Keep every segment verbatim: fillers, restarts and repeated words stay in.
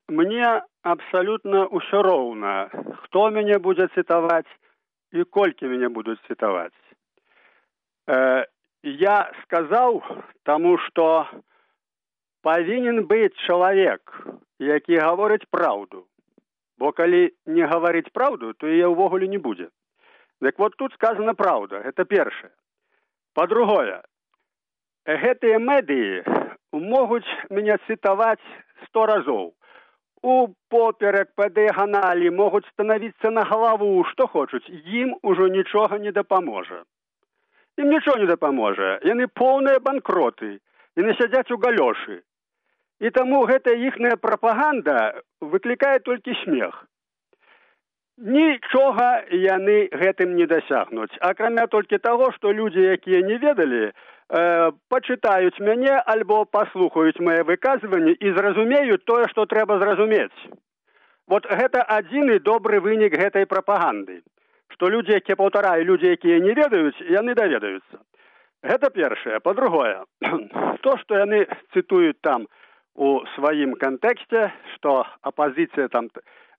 мне абсолютно ўсё роўна, хто мяне будзе цытаваць і колькі мяне будуць цытаваць. Э, я сказаў, таму што павінен быць чалавек, які гаворыць праўду. Бо калі не гаварыць праўду, то яе ўвогуле не будзе. Дык вот тут сказана праўда, гэта першае. Па-другое, гэтыя медыі могуць мяне цытаваць сто разоў. У поперак, па дыяганалі могуць станавіцца на галаву, што хочуць. Ім ужо нічога не дапаможа. Ім нічого не дапаможа. Яны поўныя банкроты. Яны сядзяць у галёшы. І таму гэтая іхная прапаганда выклікае толькі смех. Нічога яны гэтым не дасягнуць. Акрамя толькі таго, што людзі, якія не ведалі, э, пачытаюць мяне альбо паслухаюць мае выказванні і зразумеюць тое, што трэба зразумець. Вот гэта адзіны добры вынік гэтай прапаганды. Што людзі, якія, паўтараю, людзі, якія не ведаюць, яны даведаюцца. Гэта першае. Па-другое, то, што яны цытуюць там у сваім кантэксце, што апазіцыя там,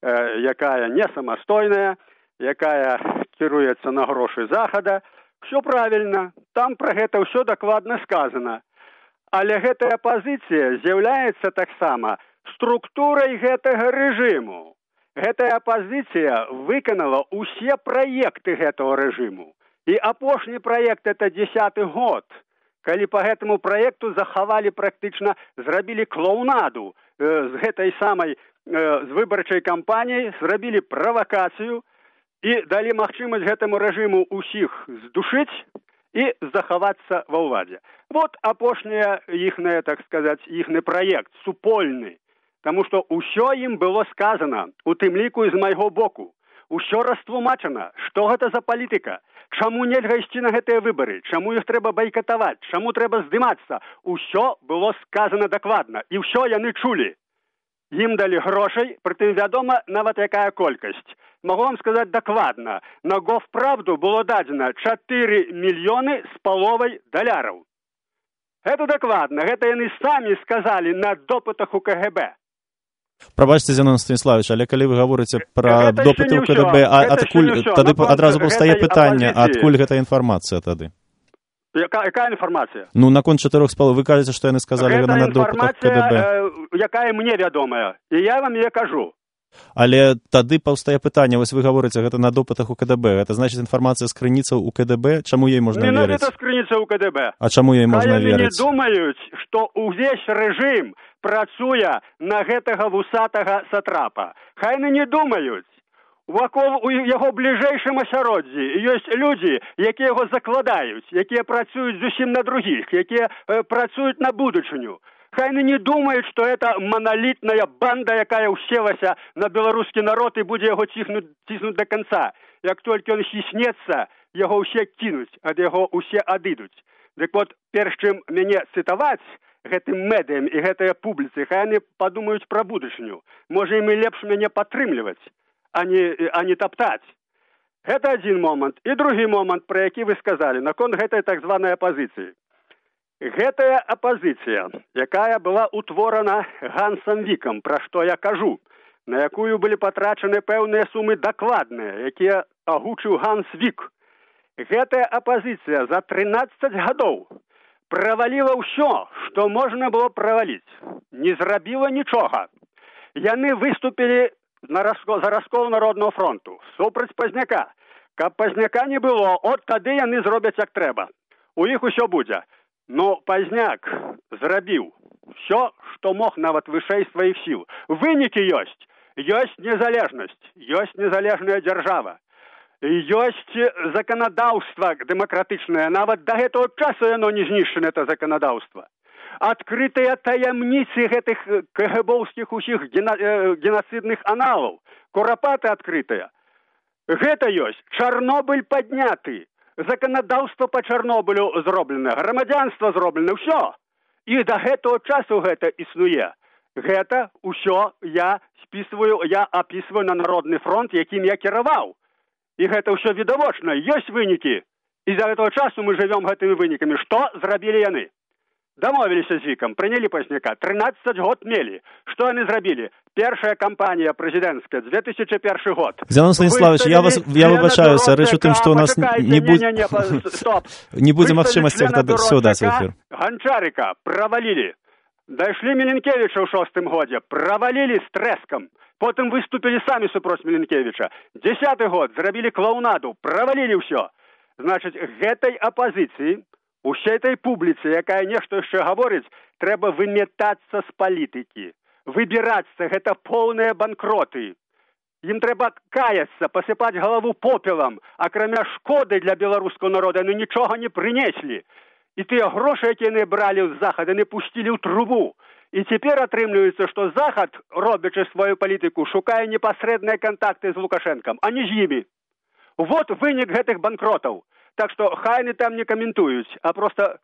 э, якая не самастойная, якая кіруецца на грошы захада, все правильно, там пра гэта ўсё дакладна сказана. Але гэтая апазіцыя з'яўляецца таксама структурай гэтага рэжыму. Гэтая апазіцыя выканала ўсе праекты гэтага рэжыму. І апошні праект – это дзесяты год, калі па гэтаму праекту захавалі практычна, зрабілі клоунаду э, з гэтай самай, э, з выбарчай кампаніяй, зрабілі правакацыю і далі магчымасць гэтаму рэжыму ўсіх здушыць і захавацца ва ўладзе. Вот апошняя іхная, так сказаць, іхны праект, супольны. Таму што ўсё ім было сказана, у тым ліку і з майго боку. Усё растлумачана, што гэта за палітыка, чаму нельга ісці на гэтыя выбары, чаму іх трэба байкатаваць, чаму трэба здымацца. Усё было сказана дакладна, і ўсё яны чулі. Ім далі грошай, прытым вядома нават якая колькасць. Магу вам сказаць дакладна, на Гофправду было дадзена чатыры мільёны з паловай даляраў. Гэта дакладна, гэта яны самі сказалі на допытах у ка гэ бэ. Прабачце, Зянон Станіславович, але калі вы гаворыце пра допыты ў ка дэ бэ, а адкуль тады адразу паўстае пытанне, адкуль гэта інфармацыя тады? Яка, якая інфармацыя? Ну, наконт чатырох з паловай, вы кажаце, што яны сказалі гэта на допытах ка дэ бэ. Гэта інфармацыя, якая мне вядомая, і я вам яе кажу. Але тады паўстае пытанне, вось вы гаворыце, гэта на допытах у ка дэ бэ. Гэта значыць інфармацыя з крыніцаў у ка дэ бэ? Чаму ёй можна не верыць? Не, гэта з крыніцаў у ка дэ бэ. А чаму ёй можна Хай верыць? Яны не думаюць, што ўвесь рэжым працуе на гэтага вусатага сатрапа. Хай яны не думаюць. Вакол у яго бліжэйшым асяроддзі ёсць людзі, якія яго закладаюць, якія працуюць зусім на другіх, якія э, працуюць на будучыню. Хай яны не думаюць, што гэта маналітная банда, якая ўселася на беларускі народ і будзе яго ціснуць, ціснуць да канца. Як толькі ён хіснецца, яго ўсе кінуць, ад яго ўсе адыдуць. Дык вот, перш чым мяне цытаваць гэтым медыям і гэтыя публіцы, хай яны падумаюць пра будучыню. Можа, ім і лепш мяне падтрымліваць, а не, а не таптаць. Гэта адзін момант. І другі момант, пра які вы сказалі, наконт гэтай так званай апазіцыі. Гэтая апазіцыя, якая была утворана Гансам Вікам, пра што я кажу, на якую былі патрачаны пэўныя сумы дакладныя, якія агучыў Ганс Вік. Гэтая апазіцыя за трынаццаць гадоў праваліла ўсё, што можна было праваліць. Не зрабіла нічога. Яны выступілі на раско, за раскол Народнага фронту, супраць Пазняка. Каб Пазняка не было, от тады яны зробяць як трэба. У іх усё будзе. Но Пазняк зрабіў ўсё, што мог нават вышэй сваіх сіл. Вынікі ёсць. Ёсць незалежнасць, ёсць незалежная дзяржава. Ёсць заканадаўства дэмакратычнае. Нават да гэтага часу яно не знішчана, это заканадаўства. Адкрытыя таямніцы гэтых кэгэбоўскіх усіх гена, э, генацыдных аналаў. Курапаты адкрытыя. Гэта ёсць. Чарнобыль падняты. Заканадаўства па Чарнобылю зроблена. Грамадзянства зроблена. Ўсё. І да гэтага часу гэта існуе. Гэта ўсё я спісваю, я апісваю на Народны фронт, якім я кіраваў. І гэта ўсё відавочна. Ёсць вынікі. І за гэтага часу мы жывём гэтымі вынікамі. Што зрабілі яны? Дамовіліся з вікам, прынялі пазняка, трынаццаць год мелі. Што яны зрабілі? Першая кампанія прэзідэнцкая, две тысячи першы год. Зянон Станіславович, я, вас, я выбачаюся, рэч у тым, што у нас не, будь... не, не, не, не будзе магчымасці ўсё даць в эфір. Ганчарыка правалілі. Дайшлі Міленкевіча ў шостым годзе, правалілі з трэскам. Потым выступілі самі супроць Міленкевіча. Дзесяты год зрабілі клоунаду, правалілі ўсё. Значыць, гэтай апазіцыі, усей этой публіцы, якая нешта яшчэ гаворыць, трэба выметацца з палітыкі. Выбірацца, гэта поўныя банкроты. Ім трэба каяцца, пасыпаць галаву попелам, акрамя шкоды для беларускага народа, яны нічога не прынеслі. І тыя грошы, якія яны бралі з захада, яны пусцілі ў трубу. І цяпер атрымліваецца, што захад, робячы сваю палітыку, шукае непасрэдныя кантакты з Лукашэнкам, а не з імі. Вот вынік гэтых банкротаў. Так што хай яны там не каментуюць, а проста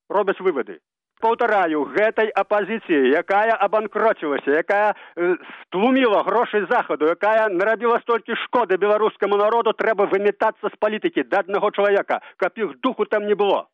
робяць вывады. Паўтараю, гэтай апазіцыі, якая абанкроцілася, якая э, стлуміла грошы захаду, якая нарабіла столькі шкоды беларускаму народу, трэба выметацца з палітыкі да аднаго чалавека, каб іх духу там не было.